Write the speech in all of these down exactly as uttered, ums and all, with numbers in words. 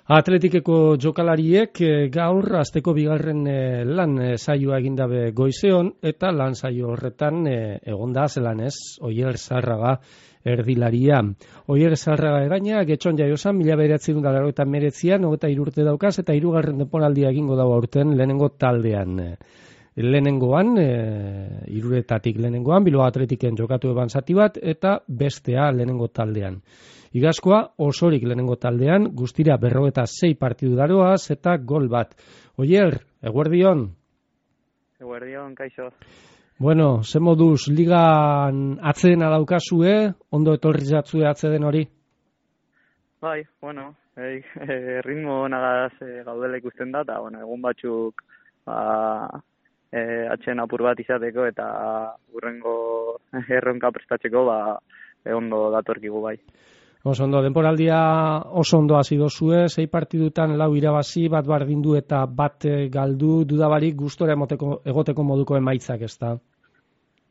Atletikeko jokalariek gaur asteko bigarren lan saioa egindabe goizeon eta lan saio horretan egonda zelan ez, Oier Zárraga erdilaria. Oier Zárraga egaina, getxon jaiosan, mila bederatziehun eta laurogeita hemeretzian, hogeita hiru urte daukaz eta hirugarren denboraldia egingo dago aurten lehenengo taldean. Lehenengoan, e, iruretatik lehenengoan, Bilbao Atletiken jokatu eban zati bat eta bestea lehenengo taldean. Igazkoa osorik lehenengo taldean, guztira berrogeta sei partidu daroaz eta gol bat. Oier, eguerdion? Eguerdion, kaixo. Bueno, ze moduz ligan atzedena daukazue, ondo etorri zatzue atzeden hori? Bai, bueno, e, e, ritmo nagaz e, gaudela ikusten da, eta bueno, egun batzuk ba, e, atxen apur bat izateko eta urrengo erronka prestatzeko ba, e, ondo datorkigu bai. Oso ondo, denporaldia oso ondo hasi dozue, sei partidutan lau irabazi, bat bardindu eta bat galdu, dudabarik gustora emoteko, egoteko moduko emaitzak, ez da?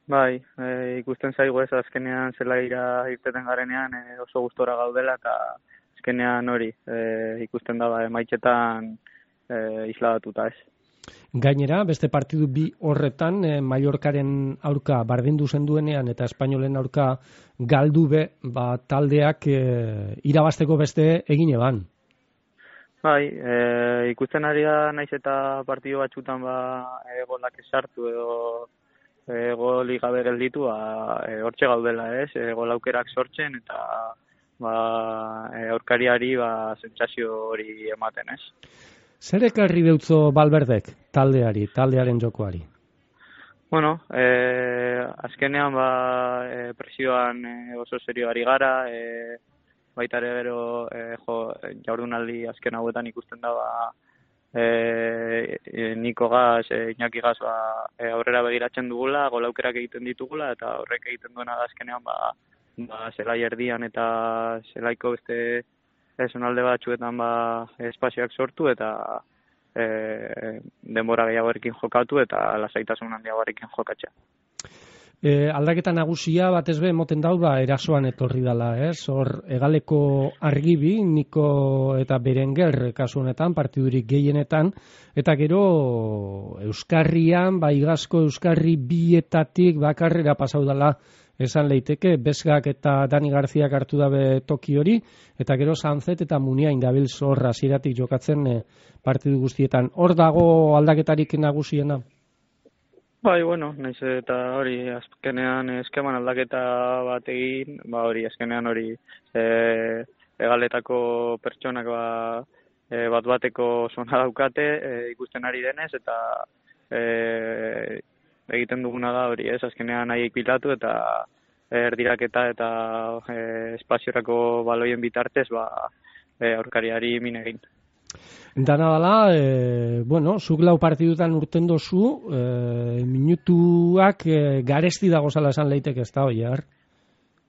Bai, e, ikusten zaigu ez, azkenean zela ira irteten garenean e, oso gustora gaudela eta azkenean hori e, ikusten da ba, emaitzetan e, isladatuta ez. Gainera, beste partidu bi horretan, eh, Mallorcaren aurka bardindu zenduenean eta Espainolen aurka galdu be, ba, taldeak eh, irabasteko beste egin eban. Bai, e, ikusten ari da naiz eta partidu batzutan ba, e, golak esartu edo e, goli gabe gelditu, ba, e, hortxe gaudela ez, e, gol aukerak sortzen eta ba, e, aurkariari ba, sentsazio hori ematen ez. Zer ekarri deutzo Valverdek taldeari, taldearen jokoari? Bueno, eh, azkenean ba, e, presioan e, oso serio ari gara, e, baita ere gero e, jo, jardunaldi azken hauetan ikusten da ba, e, e, Niko Gaz, e, Iñaki Gaz ba, e, aurrera begiratzen dugula, gol aukerak egiten ditugula eta horrek egiten duena da azkenean ba, ba, zelai erdian eta zelaiko beste esan alde batzuetan ba, espazioak sortu eta e, denbora gehiagorekin jokatu eta lasaitasun handiagorekin jokatzea. E, aldaketa nagusia batez be emoten dau da erasoan etorri dala, ez? Hor Egaleko Argibi, Niko eta Berenguer kasu honetan, partidurik gehienetan, eta gero Euskarrian, ba Igazko Euskarri bietatik bakarrera pasau dala esan leiteke, Bezgak eta Dani Garziak hartu dabe toki hori, eta gero Sanzet eta Muniain dabil zorra ziratik jokatzen e, partidu guztietan. Hor dago aldaketarik nagusiena? Bai, bueno, naiz eta hori, azkenean eskeman aldaketa bat egin, ba hori, azkenean hori e, egaletako pertsonak ba, e, bat bateko zona daukate, e, ikusten ari denez, eta e, egiten duguna da hori, ez, azkenean nahiek bilatu eta erdiraketa eta e, espaziorako baloien bitartez ba, e, aurkariari min egin. Dana dala, e, bueno, zuk lau partidutan urten dozu, e, minutuak e, garesti dago zala esan leitek ez da, Oier?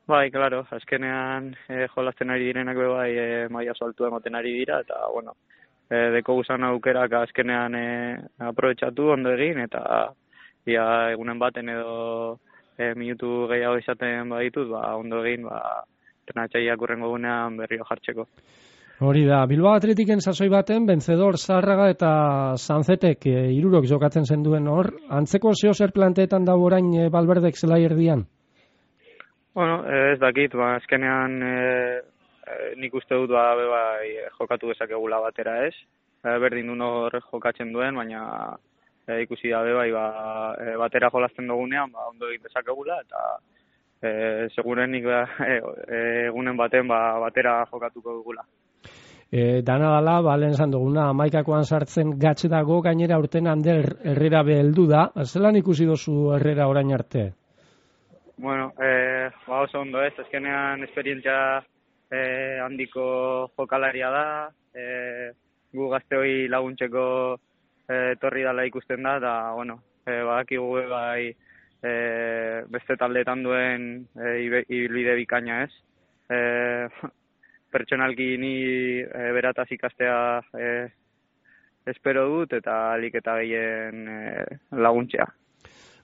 Bai, claro, azkenean e, jolazten ari direnak be bai e, maila saltu emoten ari dira, eta, bueno, e, deko guzan aukerak azkenean e, aprobetxatu ondo egin, eta ia egunen baten edo e, minutu gehiago izaten baditut, ba, ondo egin, ba, trenatxaiak urrengo gunean berrio jartzeko. Hori da, Bilbao Atletiken sasoi baten, Benzedor, Zárraga eta Sanzetek e, irurok jokatzen zenduen hor, antzeko zeo zer planteetan da orain e, Valverdek zelai erdian? Bueno, ez dakit, ba, azkenean e, e, nik uste dut ba, be, bai, jokatu dezakegula batera ez, e, berdin duen hor jokatzen duen, baina E, ikusi dabe bai ba, e, batera jolazten dugunean ba, ondo egin dezakegula eta e, segurenik ba, e, egunen baten ba, batera jokatuko dugula. E, dana dala, ba, lehen zan duguna, amaikakoan sartzen gatz dago, gainera urten Ander Herrera beheldu da, zelan ikusi dozu Herrera orain arte? Bueno, e, ba oso ondo ez, azkenean esperientzia e, handiko jokalaria da, e, gu gazteoi laguntzeko etorri dala ikusten da, eta, bueno, e, badakigu bai e, beste taldeetan duen e, ibilbide bikaina ez. E, pertsonalki ni e, berataz ikastea e, espero dut, eta alik eta gehien e, laguntzea.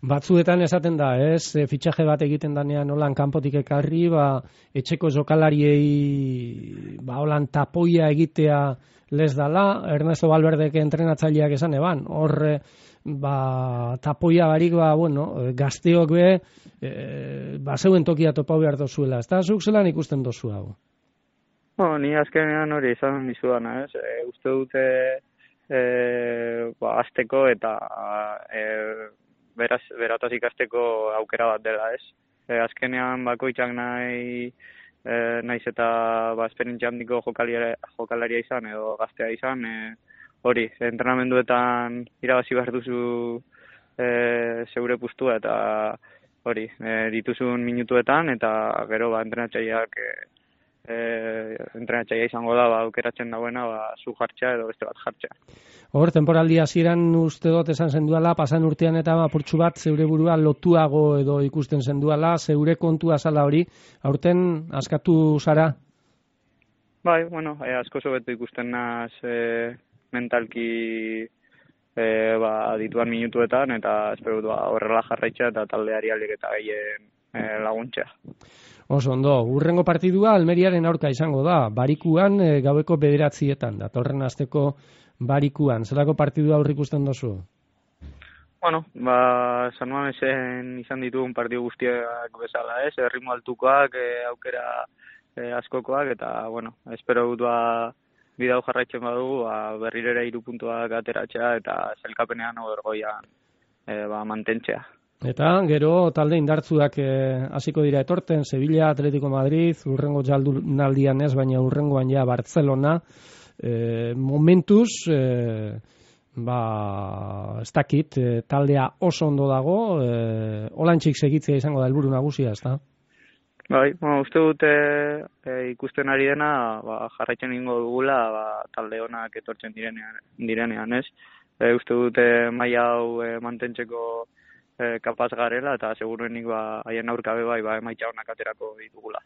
Batzuetan esaten da, ez, e, fitxaje bat egiten danean holan kanpotik ekarri, ba, etxeko jokalariei ba, holan tapoia egitea les dala, Ernesto Valverdeke entrenatzaileak esan eban, hor ba, tapoia barik, ba, bueno, gazteok be, e, ba, zeuen tokia topau behar dozuela, ez da, zuk zelan ikusten dozu hau? Bueno, ni azkenean hori izan dizudana, ez? E, uste dute e, ba, azteko eta e, beraz, berataz ikasteko aukera bat dela, ez? E, azkenean bakoitzak nahi e, naiz eta ba, esperientzia handiko jokalaria, jokalaria izan edo gaztea izan, e, hori, entrenamenduetan irabazi behar duzu e, zeure pustua eta hori, e, dituzun minutuetan eta gero ba, entrenatzaileak e, e, entrenatzailea izango da ba, aukeratzen dagoena ba, zu jartzea edo beste bat jartzea. Hor, temporaldi hasieran uste dut esan zenduala, pasan urtean eta apurtxu bat zeure burua lotuago edo ikusten zenduala, zeure kontua zala hori, aurten askatu zara? Bai, bueno, e, asko sobetu ikusten naz e, mentalki e, ba, dituan minutuetan eta espero dut ba, horrela jarraitza eta taldeari alik eta gehien e, laguntzea. Oso ondo, urrengo partidua Almeriaren aurka izango da, Barikuan e, gaueko bederatzietan, datorren asteko Barikuan, zelako partidua aurrik ikusten dozu? Bueno, ba, San Mamesen izan ditugun partidu guztiak bezala, ez, erritmo altukoak, e, aukera e, askokoak, eta, bueno, espero dut ba, bidau jarraitzen badugu, ba, berrirera hiru puntuak ateratzea, eta zelkapenean obergoian e, ba, mantentzea. Eta gero talde indartzuak hasiko dira etorten, Sevilla, Atletico Madrid, urrengo jaldunaldian ez, baina urrengoan ja Barcelona, e, momentuz, e, ba, ez dakit, e, taldea oso ondo dago, e, olantxik segitzea izango da helburu nagusia, ez da? Bai, bueno, uste dute e, ikusten ari dena, ba, jarraitzen ingo dugula, ba, talde honak etortzen direnean, direnean ez. E, uste dute maila hau e, mantentzeko E, kapaz garela eta seguruenik ba haien aurkabe bai ba emaitza onak aterako ditugula.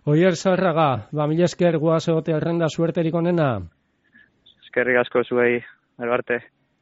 Oier Zarraga, ba mila esker goaz egote errenda suerterik onena. Eskerrik asko zuei, Albarte.